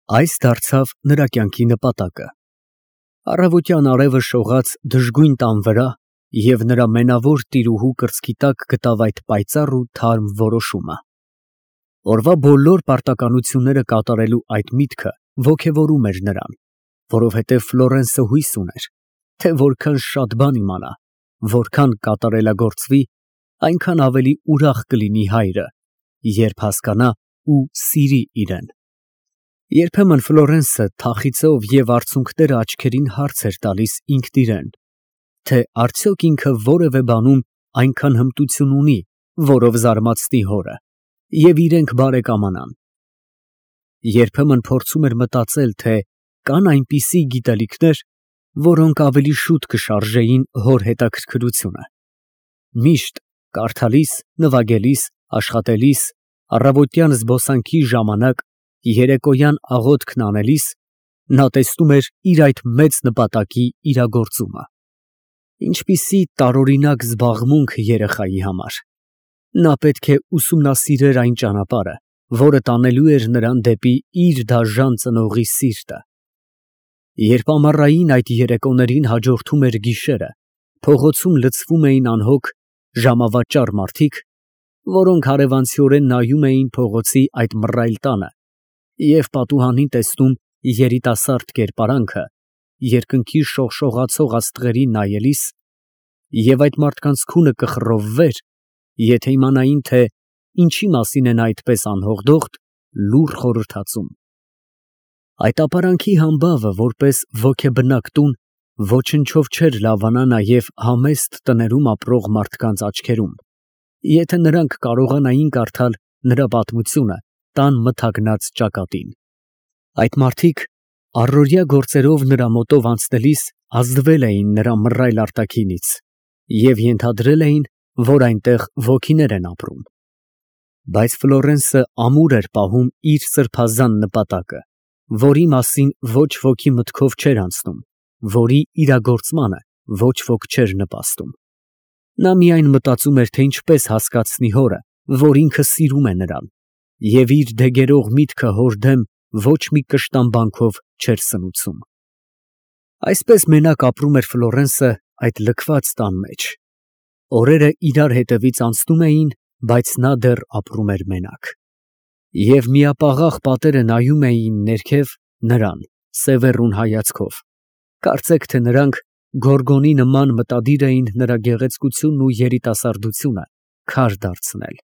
Այս դարձավ նրա կյանքի նպատակը։ Առավոտյան արևը շողաց դժգույն տան վրա, և նրա մենավոր տիրուհու կրծքի տակ գտավ այդ պայծառ ու թարմ որոշումը։ Օրվա բոլոր պարտականությունները կատարելու այդ միտքը ոգևորում էր նրան, որովհետև Ֆլորենսը հույս ուներ, թե որքան շատ բան իմանա, որքան կատարելագործվի, այնքան ավելի ուրախ կլինի հայրը, երբ հասկանա ու սիրի իրեն։ Երբեմն Ֆլորենսը թախիծով և արցունքները աչքերին հարց էր տալիս ինքն իրեն, թե արդյոք ինքը որևէ բանում այնքան հմտություն ունի, որով զարմացնի հորը, և իրենք բարեկամանան։ Երբեմն փորձում էր մտածել, թե կան այնպիսի գիտելիքներ, որոնք ավելի շուտ կշարժեին հոր հետաքրքրությունը։ Միշտ կարդալիս, նվագելիս, աշխատելիս, առավոտյան զբոսանքի ժամանակ, երեկոյան աղոթքն անելիս, նա տեսնում էր իր այդ մեծ նպատակի իրագործումը։ Ինչպիսի տարօրինակ զբաղմունք երեխայի համար։ Նա պետք է ուսումնասիրեր այն ճանապարհը, որը տանելու էր նրան դեպի իր դաժան ծնողի սիրտը։ Երբ ամառային այդ երեկոներին հաջորդում էր գիշերը, փողոցում լցվում էին անհոգ, ժամավաճառ մարդիկ, որոնք հարևանցիորեն նայում էին փողոցի այդ մռայլ տանը և պատուհանին տեսնում երիտասարդ կերպարանքը, երկնքի շողշողացող աստղերին նայելիս, և այդ մարդկանց քունը կխռովվեր, եթե իմանային, թե ինչի մասին է նա այդպես անհոգ, լուռ խորհրդածում։ Այդ ապարանքի համբավը, որպես ոգեբնակ տուն, ոչնչով չէր լավանա նաև համեստ տներում ապրող մարդկանց աչքերում, եթե նրանք կարողանային կարդալ նրա պատմությունը տան մթագնած ճակատին։ Այդ մարդիկ առօրյա գործերով նրա մոտով անցնելիս ազդվել էին նրա մռայլ արտաքինից և ենթադրել էին, որ այնտեղ ոգիներ են ապրում։ Բայց Ֆլորենսը ամուր էր պահում իր սրբազան նպատակը, որի մասին ոչ ոքի մտքով չէր անցնում, որի իրագործմանը ոչ ոք չէր նպաստում։ Նա միայն մտածում էր, թե ինչպես հասկացնի հորը, որ ինքը սիրում է նրան, և իր դեգերող միտքը հոր դեմ ոչ մի կշտամբանքով չէր սնուցում։ Այսպես մենակ ապրում էր Ֆլորենսը այդ լքված տան մեջ։ Օրերը իրար հետևից անցնում էին, բայց նա դեռ ապրում էր մենակ։ Եվ միապաղաղ պատերը նայում էին ներքև նրան սևեռուն հայացքով, կարծեք թե նրանք Գորգոնի նման մտադիր էին նրա գեղեցկությունն ու երիտասարդությունը քար դարձնել։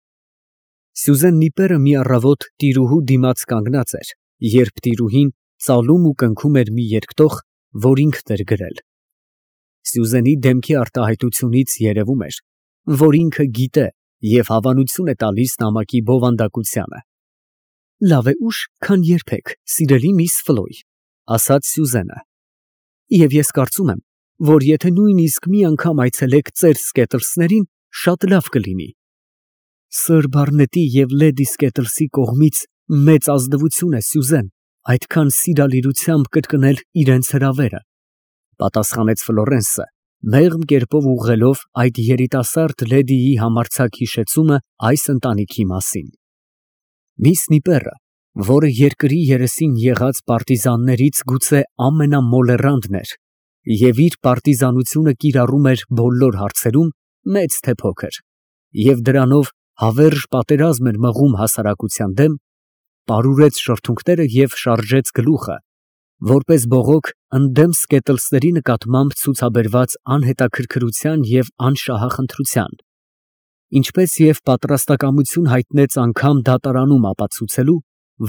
Սյուզեն Նիպերը մի առավոտ տիրուհու դիմաց կանգնած էր, երբ տիրուհին ծալում ու կնքում էր մի երկտող, որ ինքն էր գրել։ Սյուզենի դեմքի արտահայտությունից երևում էր, որ ինքը գիտե և հավանություն է տալիս նամակի բովանդակությանը։ «Լավ է ուշ, քան երբեք, սիրելի միս Ֆլոյ», ասաց Սյուզենը, «և ես կարծում եմ, որ եթե նույնիսկ մի անգամ այցելեք ծեր Սկետլսներին, շատ լավ կլինի։ Սըր Բարնետի և լեդի Սկետլսի կողմից մեծ ազնվություն է, Սյուզեն, այդքան սիրալիրությամբ կրկնել իրենց հրավերը», պատասխանեց Ֆլորենսը, մեղմ կերպով ուղղելով այդ երիտասարդ լեդիի համարձակ հիշեցումը այս ընտանիքի մասին։ Միս Նիպերը, որը երկրի երեսին եղած պարտիզաններից գուցե ամենամոլեռանդն էր և իր պարտիզանությունը կիրառում էր բոլոր հարցերում, մեծ թե փոքր, և դրանով հավերժ պատերազմ էր մղում հասարակության դեմ, պարուրեց շրթունքները և շարժեց գլուխը, որպես բողոք ընդդեմ Սկետլսների նկատմամբ ցուցաբերված անհետաքրքրության և անշահախնդրության, ինչպես և պատրաստակամություն հայտնեց անգամ դատարանում ապացուցելու,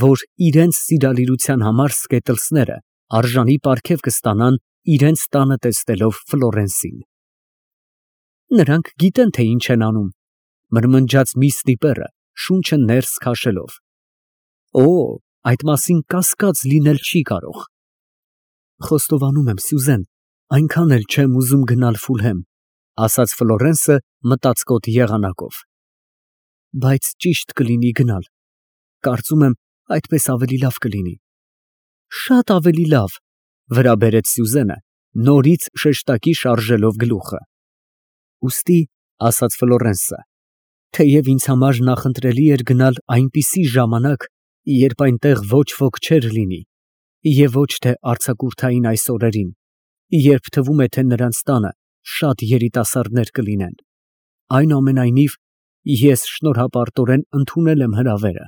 որ իրենց սիրալիրության համար Սկետլսները արժանի պարգև կստանան իրենց տանը տեսնելով Ֆլորենսին։ «Նրանք գիտեն, թե ինչ են անում», մրմնջաց միս Նիպերը, շունչը ներս քաշելով։ «Օ, այդ մասին կասկած լինել չի կարող»։ «Խոստովանում եմ, Սյուզեն, այնքան էլ չեմ ուզում գնալ Ֆուլհեմ», ասաց Ֆլորենսը մտածկոտ եղանակով։ «Բայց ճիշտ կլինի գնալ, կարծում եմ, այդպես ավելի լավ կլինի»։ «Շատ ավելի լավ», վրա բերեց Սյուզենը, նորից շեշտակի շարժելով գլուխը։ «Ուստի, ֊ ասաց Ֆլորենսը, ֊ թեև ինձ համար նախընտրելի էր գնալ այնպիսի ժամանակ, երբ այնտեղ ոչ ոք չէր լինի, Եվ ոչ թե արձակուրդային այս օրերին, երբ թվում է, թե նրանց տանը շատ երիտասարդներ կլինեն։ Այնուամենայնիվ, ես շնորհապարտորեն ընդունել եմ հրավերը։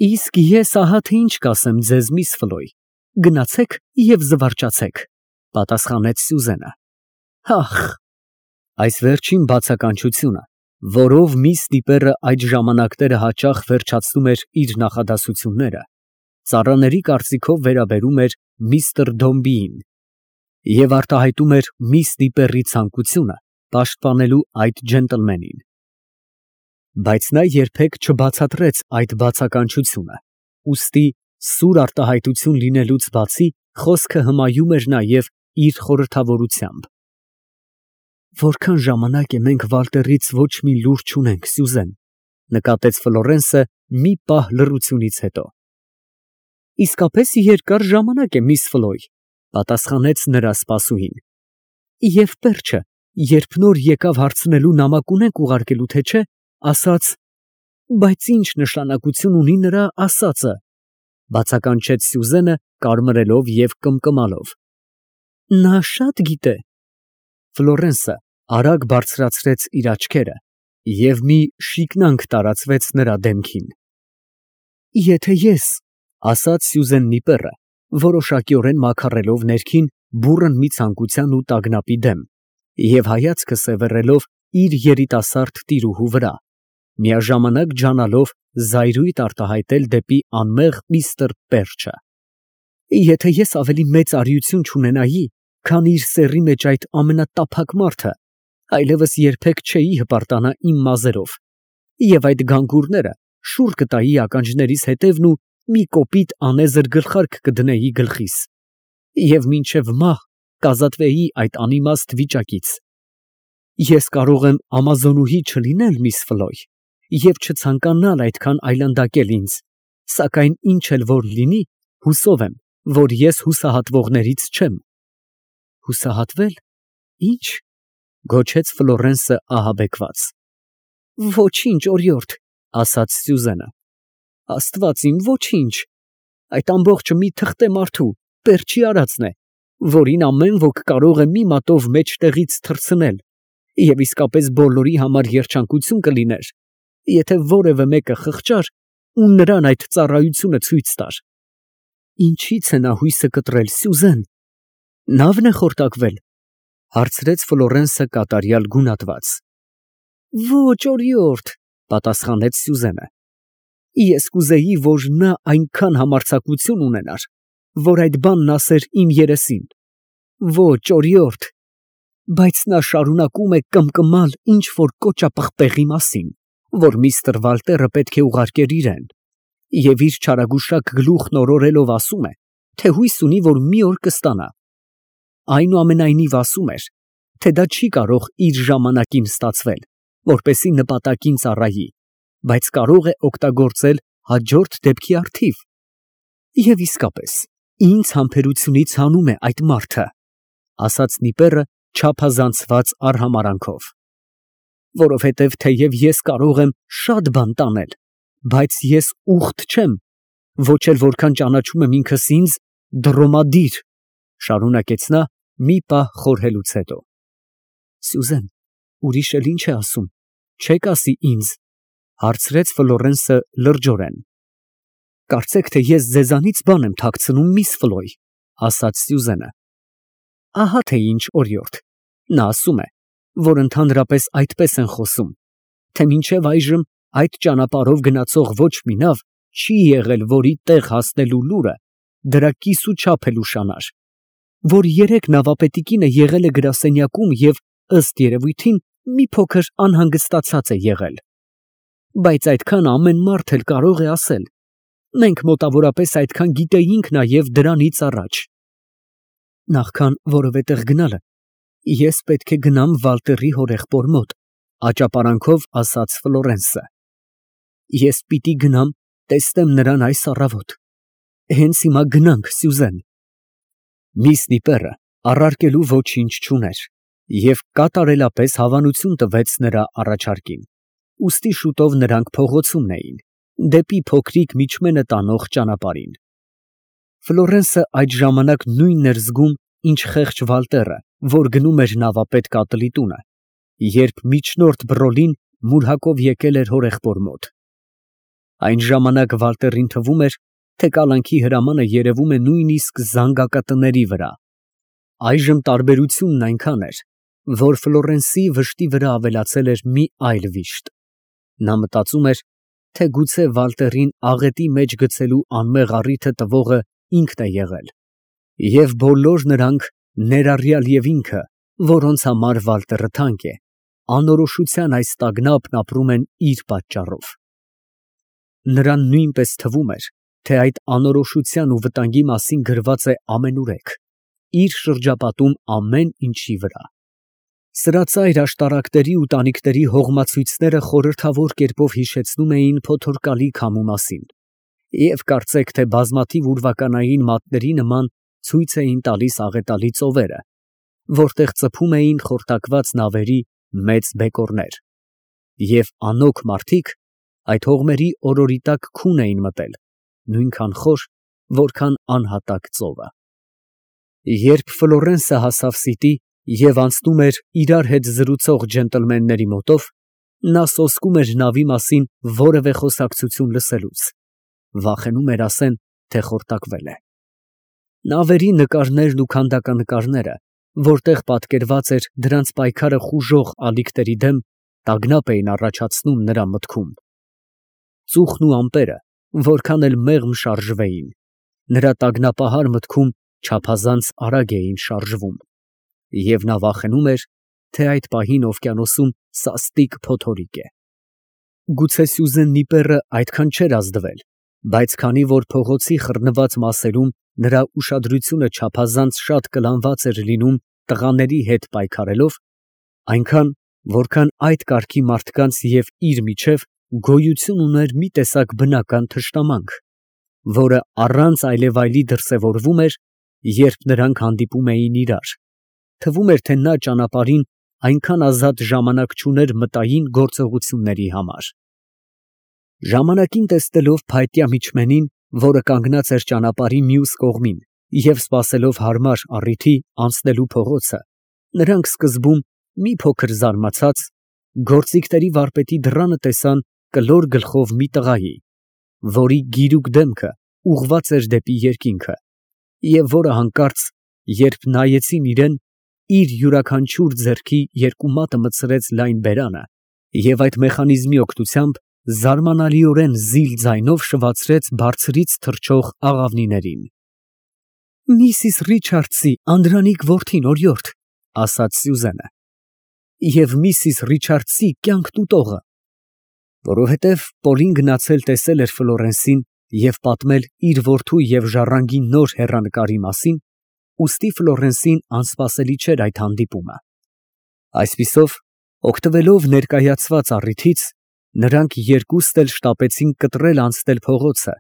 Իսկ ես ահա թե ինչ կասեմ ձեզ, միս Ֆլոյ, գնացեք և զվարճացեք, պատասխանեց Սյուզենը։ Ախ, այս վերջին բացականչությունը, որով միս Դիպերը այդ ժամանակները հաճախ վերջացնում էր իր նախադասությունները, ծառաների կարծիքով վերաբերում էր միստր Դոմբիին և արտահայտում էր միս Դիպերի ցանկությունը պաշտպանելու այդ ջենտլմենին։ Բայց նա երբեք չբացատրեց այդ բացականչությունը, ուստի սուր արտահայտություն լինելուց բացի խոսքը հմայում էր նաև իր խորհրդավորությամբ։ Որքան ժամանակ է մենք Վալտերից ոչ մի լուր չունենք, Սյուզեն, նկատեց Ֆլորենսը մի պահ լռությունից հետո։ Իսկապես երկար ժամանակ է, միս Ֆլոյ, պատասխանեց նրա սպասուհին։ Եվ պերճը, երբ նոր եկավ հարցնելու նամակ ունենք ուղարկելու, թե չէ, ասաց, բայց ինչ նշանակություն ունի նրա ասածը, բացականչեց Սյուզենը կարմրելով և կմկմալով։ Նա շատ գիտե։ Ֆլորենսը արագ բարձրացրեց իր աչքերը և մի շիկնանք տարածվեց նրա դեմքին։ Եթե ես, ասաց Սյուզեն Նիպերը, որոշակիորեն մաքարելով ներքին բուռն մի ցանկության ու տագնապի դեմ և հայացքը սևեռելով իր երիտասարդ տիրուհու վրա, միաժամանակ ջանալով զայրույթ արտահայտել դեպի անմեղ միստր Պերճը։ Եթե ես ավելի մեծ արիություն չունենայի, քան իր սեռի մեջ այդ ամենատափակ մարդը, այլևս երբեք չէի հպարտանա իմ մազերով, և այդ գանգուրները շուռ կտայի ականջներիս հետևն ու մի կոպիտ անեզր գլխարկ կդնեի գլխիս, և մինչև մահ կազատվեի այդ անիմաստ վիճակից։ Ես կարող եմ ամազոնուհի չլինել, միս Ֆլոյ, և չցանկանալ այդքան այլանդակել ինձ, սակայն ինչ էլ որ լինի, հուսով եմ, որ ես հուսահատվողներից չեմ։ Հուսահատվել, ի՞նչ, գոչեց Ֆլորենսը ահաբեկված։ Ոչինչ, օրիորդ, ասաց Սյուզենը։ Աստված իմ, ոչինչ, այդ ամբողջը մի թղթե մարդու, Պերճի արածն է, որին ամեն ոք կարող է մի մատով մեջտեղից թռցնել, և իսկապես բոլորի համար երջանկություն կլիներ, եթե որևէ մեկը խղճար ու նրան այդ ծառայությունը ցույց տար։ Ինչի՞ց է նա հույսը կտրել, Սյուզեն։ Նավն է խորտակվել, հարցրեց Ֆլորենսը կատարյալ գունատված։ Ոչ, օրիորդ, պատասխանեց Սյուզենը։ Ես կուզեի, որ նա այնքան համարձակություն ունենար, որ այդ բանն ասեր իմ երեսին։ Ոչ, օրիորդ, բայց նա շարունակում է կմկմալ ինչ-որ կոճապղպեղի մասին, որ միստր Վալտերը պետք է ուղարկեր իրան, և իր չարագուշակ գլուխն օրորելով ասում է, թե հույս ունի, որ մի օր կստանա։ Այնուամենայնիվ ասում էր, թե դա չի կարող իր ժամանակին ստացվել, որպեսզի նպատակին ծառայի, բայց կարող է օգտագործել հաջորդ դեպքի առթիվ։ Եվ իսկապես, ինձ համբերությունից հանում է այդ մարդը, ասաց Նիպերը չափազանցված արհամարանքով։ Որովհետև թեև ես կարող եմ շատ բան տանել, բայց ես ուխտ չեմ, ոչ էլ որքան ճանաչում եմ ինքս ինձ, դրոմադիր, շարունակեց նա մի պահ խորհելուց հետո։ Սյուզեն, ուրիշ էլ ինչ է ասում, չեք ասի ինձ, հարցրեց Ֆլորենսը լրջորեն։ Կարծեք, թե ես ձեզանից բան եմ թաքցնում, միս Ֆլոյ, ասաց Սյուզենը։ Ահա թե ինչ, օրիորդ, նա ասում է, որ ընդհանրապես այդպես են խոսում, թե մինչև այժմ այդ ճանապարհով գնացող ոչ մի նավ չի եղել, որի տեղ հասնելու լուրը դրա կիսուչափ էլ ուշանար, որ երեք նավապետի կինը եղել է գրասենյակում և ըստ երևույթին մի փոքր անհանգստացած է եղել։ Բայց այդքան ամեն մարդ էլ կարող է ասել։ Մենք մոտավորապես այդքան գիտեինք նաև դրանից առաջ։ Նախքան որևէ տեղ գնալը, ես պետք է գնամ Վալտերի հորեղբոր մոտ, աճապարանքով ասաց Ֆլորենսը։ Ես պիտի գնամ, տեսնեմ նրան այս առավոտ։ Հենց հիմա գնանք, Սյուզեն։ Միս Նիպերը առարկելու ոչինչ չուներ և կատարելապես հավանություն տվեց նրա առաջարկին, ուստի շուտով նրանք փողոցումն էին, դեպի փոքրիկ միջմենը տանող ճանապարհին։ Ֆլորենսը այդ ժամանակ նույնն էր զգում, ինչ խեղճ Վալտերը, որ գնում էր նավապետ կատլի տունը, երբ միջնորդ Բրոլին մուրհակով եկել էր հորեղբոր մոտ։ Այն ժամանակ Վալտերին թվում էր, թե կալանքի հրամանը երևում է նույնիսկ զանգակատների վրա։ Այժմ տարբերությունն այնքան էր, որ Ֆլորենսի վշտի վրա ավելացել էր մի այլ վիշտ։ Նա մտածում էր, թե գուցե Վալտերին աղետի մեջ գցելու անմեղ առիթը տվողը ինքն է եղել, և բոլոր նրանք, ներառյալ և ինքը, որոնց համար Վալտերը թանկ է, անորոշության այս տագնապն ապրում են իր պատճառով։ Նրան նույնպես թվում էր, թե այդ անորոշության ու վտանգի մասին գրված է ամենուրեք, իր շրջապատում ամեն ինչի վրա։ Սրածայր աշտարակների ու տանիքների հողմացույցները խորհրդավոր կերպով հիշեցնում էին փոթորկալի քամու մասին, և կարծեք թե բազմաթիվ ուրվականային մատների նման ցույց էին տալիս աղետալի ծովերը, որտեղ ծփում էին խորտակված նավերի մեծ բեկորներ, և անօգ մարդիկ այդ հողմերի օրորի տակ քուն էին մտել, նույնքան խոր, որքան անհատակ ծովը։ Երբ Ֆլորենսը հասավ սիտի և անցնում էր իրար հետ զրուցող ջենտլմենների մոտով, նա սոսկում էր նավի մասին որևէ խոսակցություն լսելուց, վախենում էր ասեն, թե խորտակվել է։ Նավերի նկարներն ու քանդականկարները, որտեղ պատկերված էր դրանց պայքարը խուժող ալիքների դեմ, տագնապ էին առաջացնում նրա մտքում։ Ծուխն ու ամպերը, որքան էլ մեղմ շարժվեին, նրա տագնապահար մտքում չափազանց արագ էին շարժվում, և նա վախենում էր, թե այդ պահին օվկիանոսում սաստիկ փոթորիկ է։ Գուցե Սյուզեն Նիպերը այդքան չէր ազդվել, բայց քանի որ փողոցի խռնված մասերում նրա ուշադրությունը չափազանց շատ կլանված էր լինում տղաների հետ պայքարելով, այնքան, որքան այդ կարգի մարդկանց և իր միջև գոյություն ուներ մի տեսակ բնական թշնամանք, որը առանց այլևայլի դրսևորվում էր, երբ նրանք հանդիպում էին իրար, թվում էր, թե նա ճանապարհին այնքան ազատ ժամանակ չուներ մտային գործողությունների համար։ Ժամանակին տեսնելով փայտյա միջմենին, որը կանգնած էր ճանապարհի մյուս կողմին և սպասելով հարմար առիթի անցնելու փողոցը, նրանք սկզբում մի փոքր զարմացած, գործիքների վարպետի դռանը տեսան կլոր գլխով մի տղայի, որի գիրուկ դեմքը ուղղված էր դեպի երկինքը, և որը հանկարծ, երբ նայեցին իրան, իր յուրաքանչյուր ձեռքի երկու մատը մտցրեց լայն բերանը և այդ մեխանիզմի օգնությամբ զարմանալիորեն զիլ ձայնով շվացրեց բարձրից թռչող աղավնիներին։ ֊ Միսիս Ռիչարդսի անդրանիկ որդին, օրիորդ, ֊ ասաց Սյուզենը, ֊ և միսիս Ռիչարդսի կյանք տուտողը։ Որովհետև Պոլին գնացել տեսել էր Ֆլորենսին և պատմել իր որդու և ժառանգի նոր հեռանկարի մասին, ուստի Ֆլորենսին անսպասելի չէր այդ հանդիպումը։ Այսպիսով, օգտվելով ներկայացված առիթից, նրանք երկուստ էլ շտապեցին կտրել անցնել փողոցը,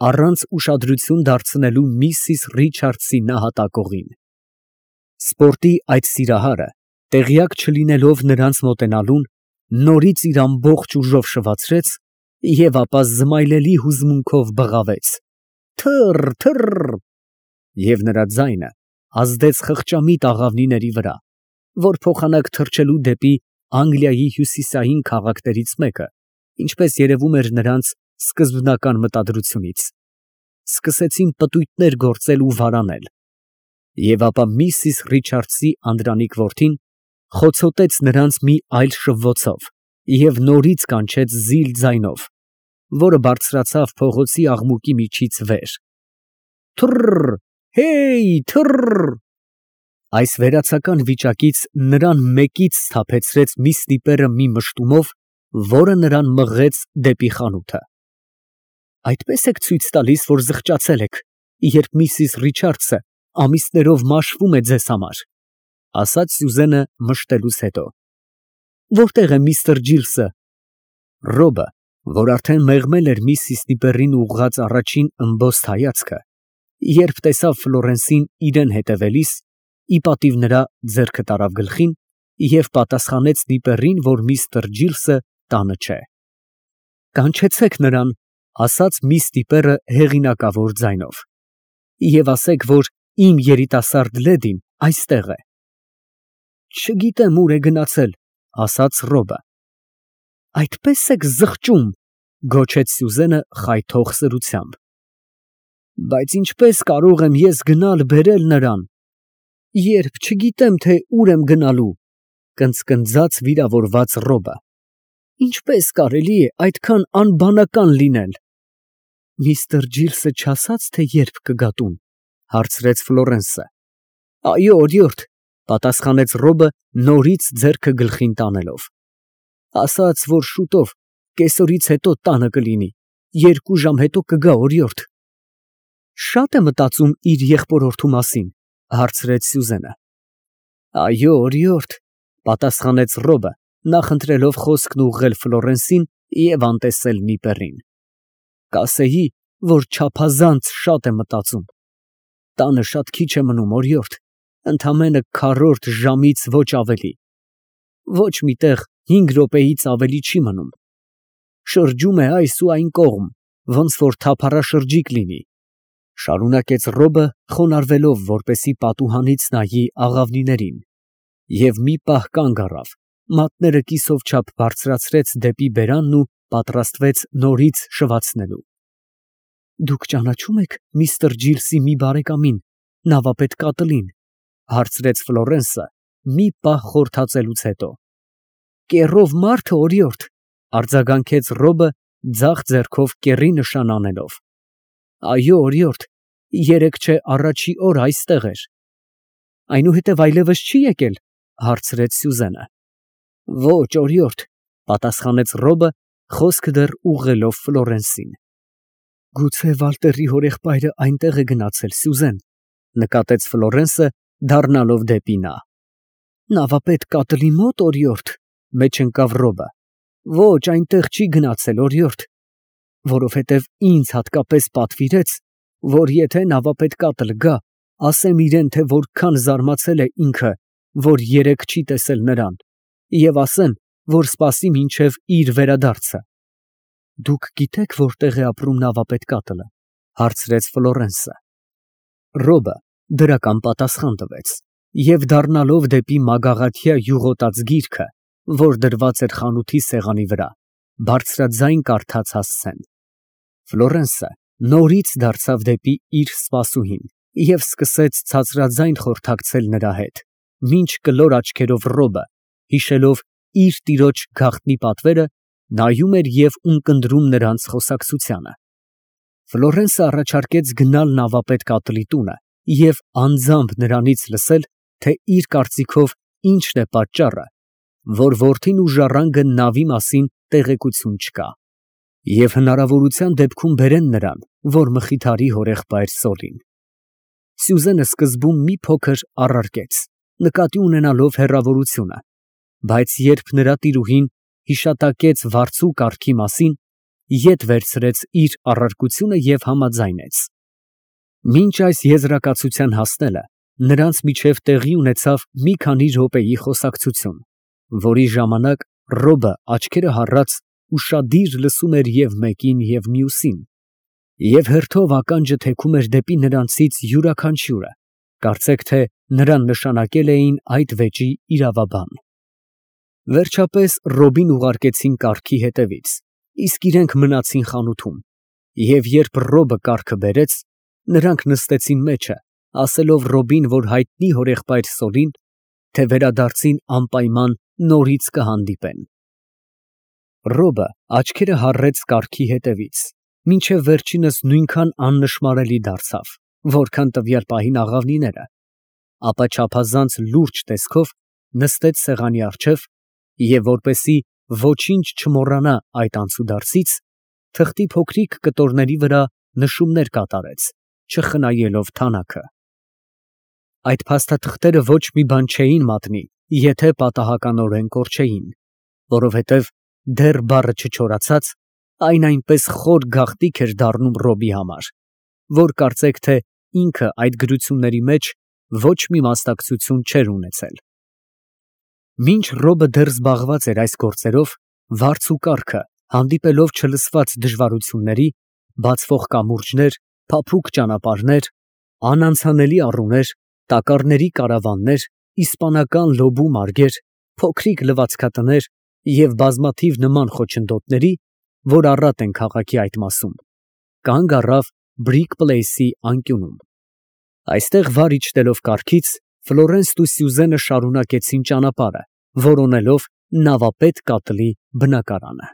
առանց ուշադրություն դարձնելու միսիս Ռիչարդսի նահատակողին։ Սպորտի այդ սիրահարը, տեղյակ չլինելով նրանց մոտենալուն, նորից իր ամբողջ ուժով շվացրեց և ապա զմայլելի հուզմունքով բղավեց. «Թը՛ռ, թը՛ռ», և նրա ձայնը ազդեց խղճամիտ աղավնիների վրա, որ փոխանակ թռչելու դեպի Անգլիայի հյուսիսային քաղաքներից մեկը, ինչպես երևում էր նրանց սկզբնական մտադրությունից, սկսեցին պտույտներ գործել ու վարանել, և ապա միսիս Ռիչարդսի անդրանիկ որդին խոցոտեց նրանց մի այլ շվվոցով և նորից կանչեց զիլ ձայնով, որը բարձրացավ փողոցի աղմուկի միջից վեր. «Թը՛ռ, հեյ, թը՛ռ»։ Այս վերացական վիճակից նրան մեկից սթափեցրեց մի ստիպերը մի մշտումով, որը նրան մղեց դեպի խանութը։ Այդպե՞ս եք ցույց տալիս, որ զղջացել եք, երբ միսիս Ռիչարդսը ամիսներով մաշվում է ձեզ համար, ֊ ասաց Սյուզենը մշտելուց հետո։ Որտե՞ղ է միստր Ջիլսը։ Ռոբը, որ արդեն մեղմել էր միսիս Նիպերին ուղղած առաջին ըմբոստ հայացքը, երբ տեսավ Ֆլորենսին իրան հետևելիս, ի պատիվ նրա ձեռքը տարավ գլխին և պատասխանեց Նիպերին, որ միստր Ջիլսը տանը չէ։ Կանչեցեք նրան, ֊ ասաց միս Նիպերը հեղինակավոր ձայնով։ Եվ ասեք, որ իմ երիտասարդ լեդին այստեղ է։ Չգիտեմ ուր է գնացել, ասաց Ռոբը։ Այդպես եք զղջում, գոչեց Սյուզենը խայթող սրությամբ։ Բայց ինչպես կարող եմ ես գնալ բերել նրան, երբ չգիտեմ, թե ուր եմ գնալու, կնծկնծաց վիրավորված Ռոբը։ Ինչպես կարելի է այդքան անբանական լինել։ Միստր Ջիլսը չասաց, թե երբ կգա տուն, հարցրեց Ֆլորենսը։ Այո, օրիորդ, պատասխանեց Ռոբը նորից ձեռքը գլխին տանելով։ Ասաց, որ շուտով, կեսօրից հետո տանը կլինի, 2 ժամ հետո կգա, օրիորդ։ Շատ է մտածում իր եղբորորդու մասին, հարցրեց Սյուզենը։ Այո, օրիորդ, պատասխանեց Ռոբը, նախընտրելով խոսքն ուղղել Ֆլորենսին և անտեսել Նիպերին։ Կասեի, որ չափազանց շատ է մտածում։ Տանը շատ քիչ է մնում, օրիորդ, ընդամենը 1/4 ժամից ոչ ավելի։ Ոչ մի տեղ 5 րոպեից ավելի չի մնում։ Շրջում է այս ու այն կողմ, ոնց որ թափառաշրջիկ լինի, շարունակեց Ռոբը, խոնարհվելով, որպեսզի պատուհանից նայի աղավնիներին, և մի պահ կանգ առավ, մատները կիսով չափ բարձրացրեց դեպի բերանն ու պատրաստվեց նորից շվացնելու։ Դուք ճանաչո՞ւմ եք միստր Ջիլսի մի բարեկամին, նավապետ Կատլին, հարցրեց Ֆլորենսը մի պահ խորհրդածելուց հետո։ Կեռով մարդը, օրիորդ, արձագանքեց Ռոբը ձախ ձեռքով կեռի նշան անելով։ Այո, օրիորդ, 3 չէ առաջի օր այստեղ էր։ Այնուհետև այլևս չի եկել, հարցրեց Սյուզենը։ Ոչ, օրիորդ, պատասխանեց Ռոբը, խոսքը դեռ ուղղելով Ֆլորենսին։ Գուցե Վալտերի հորեղբայրը այնտեղ է գնացել, Սյուզեն, նկատեց Ֆլորենսը, դառնալով դեպի նա։ Նավապետ Կատլի մոտ, օրիորդ, մեջ ընկավ Ռոբը։ Ոչ, այնտեղ չի գնացել, օրիորդ, որովհետև ինձ հատկապես պատվիրեց, որ եթե նավապետ Կատլ գա, ասեմ իրեն, թե որքան զարմացել է ինքը, որ 3 չի տեսել նրան, և ասեմ, որ սպասի մինչև իր վերադարձը։ Դուք գիտեք, որտեղ է ապրում նավապետ Կատլը, հարցրեց Ֆլորենսը։ Ռոբը դրական պատասխան տվեց և դառնալով դեպի մագաղաթյա յուղոտած գիրքը, որ դրված էր խանութի սեղանի վրա, բարձրաձայն կարդաց հասցեն։ Ֆլորենսը նորից դարձավ դեպի իր սպասուհին և սկսեց ցածրաձայն խորհրդակցել նրա հետ, մինչ կլոր աչքերով Ռոբը, հիշելով իր տիրոջ գաղտնի պատվերը, նայում էր և ունկնդրում նրանց խոսակցությանը։ Ֆլորենսը առաջարկեց գնալ նավապետ Կատլի տունը և անձամբ նրանից լսել, թե իր կարծիքով ինչն է պատճառը, որ որդին ու ժառանգը նավի մասին տեղեկություն չկա, և հնարավորության դեպքում բերեն նրան, որ մխիթարի հորեղբայր Սոլին։ Սյուզենը սկզբում մի փոքր առարկեց, նկատի ունենալով հեռավորությունը, բայց երբ նրա տիրուհին հիշատակեց վարձու կարգի մասին, ետ վերցրեց իր առարկությունը և համաձայնեց։ Մինչ այս եզրակացության հասնելը նրանց միջև տեղի ունեցավ մի քանի րոպեի խոսակցություն, որի ժամանակ Ռոբը աչքերը հառած ուշադիր լսում էր և մեկին, և մյուսին, և հերթով ականջը թեքում էր դեպի նրանցից յուրաքանչյուրը, կարծեք թե նրան նշանակել էին այդ վեճի իրավաբան։ Վերջապես Ռոբին ուղարկեցին կառքի հետևից, իսկ իրենք մնացին խանութում, և երբ Ռոբը կառքը բերեց, նրանք նստեցին մեջը, ասելով Ռոբին, որ հայտնի հորեղբայր Սոլին, թե վերադարձին անպայման նորից կհանդիպեն։ Ռոբը աչքերը հառեց կառքի հետևից, մինչև վերջինս նույնքան աննշմարելի դարձավ, որքան տվյալ պահին աղավնիները, ապա չափազանց լուրջ տեսքով նստեց սեղանի առջև և, որպեսզի ոչինչ չմոռանա այդ անցուդարձից, թղթի փոքրիկ կտորների վրա նշումներ կատարեց, չխնայելով թանաքը։ Այդ փաստաթղթերը ոչ մի բան չէին մատնի, եթե պատահականորեն կորչեին, որովհետև դեռ բառը չչորացած, այն այնպես խոր գաղտնիք էր դառնում Ռոբի համար, որ կարծեք թե ինքը այդ գրությունների մեջ ոչ մի մասնակցություն չէր ունեցել։ Մինչ Ռոբը դեռ զբաղված էր այս գործերով, վարձ ու կառքը, հանդիպելով չլսված դժվարությունների, բացվող կամուրջներ, փափուկ ճանապարհներ, Անանցանելի առուներ, տակառների կարավաններ, իսպանական լոբու մարգեր, փոքրիկ լվացքատներ և բազմաթիվ նման խոչընդոտների, որ առատ են քաղաքի այդ մասում, կանգ առավ Բրիկ Պլեյսի անկյունում։ Այստեղ վար իջնելով կառքից, Ֆլորենսն ու Սյուզենը շարունակեցին ճանապարհը, որոնելով նավապետ կատլի բնակարանը։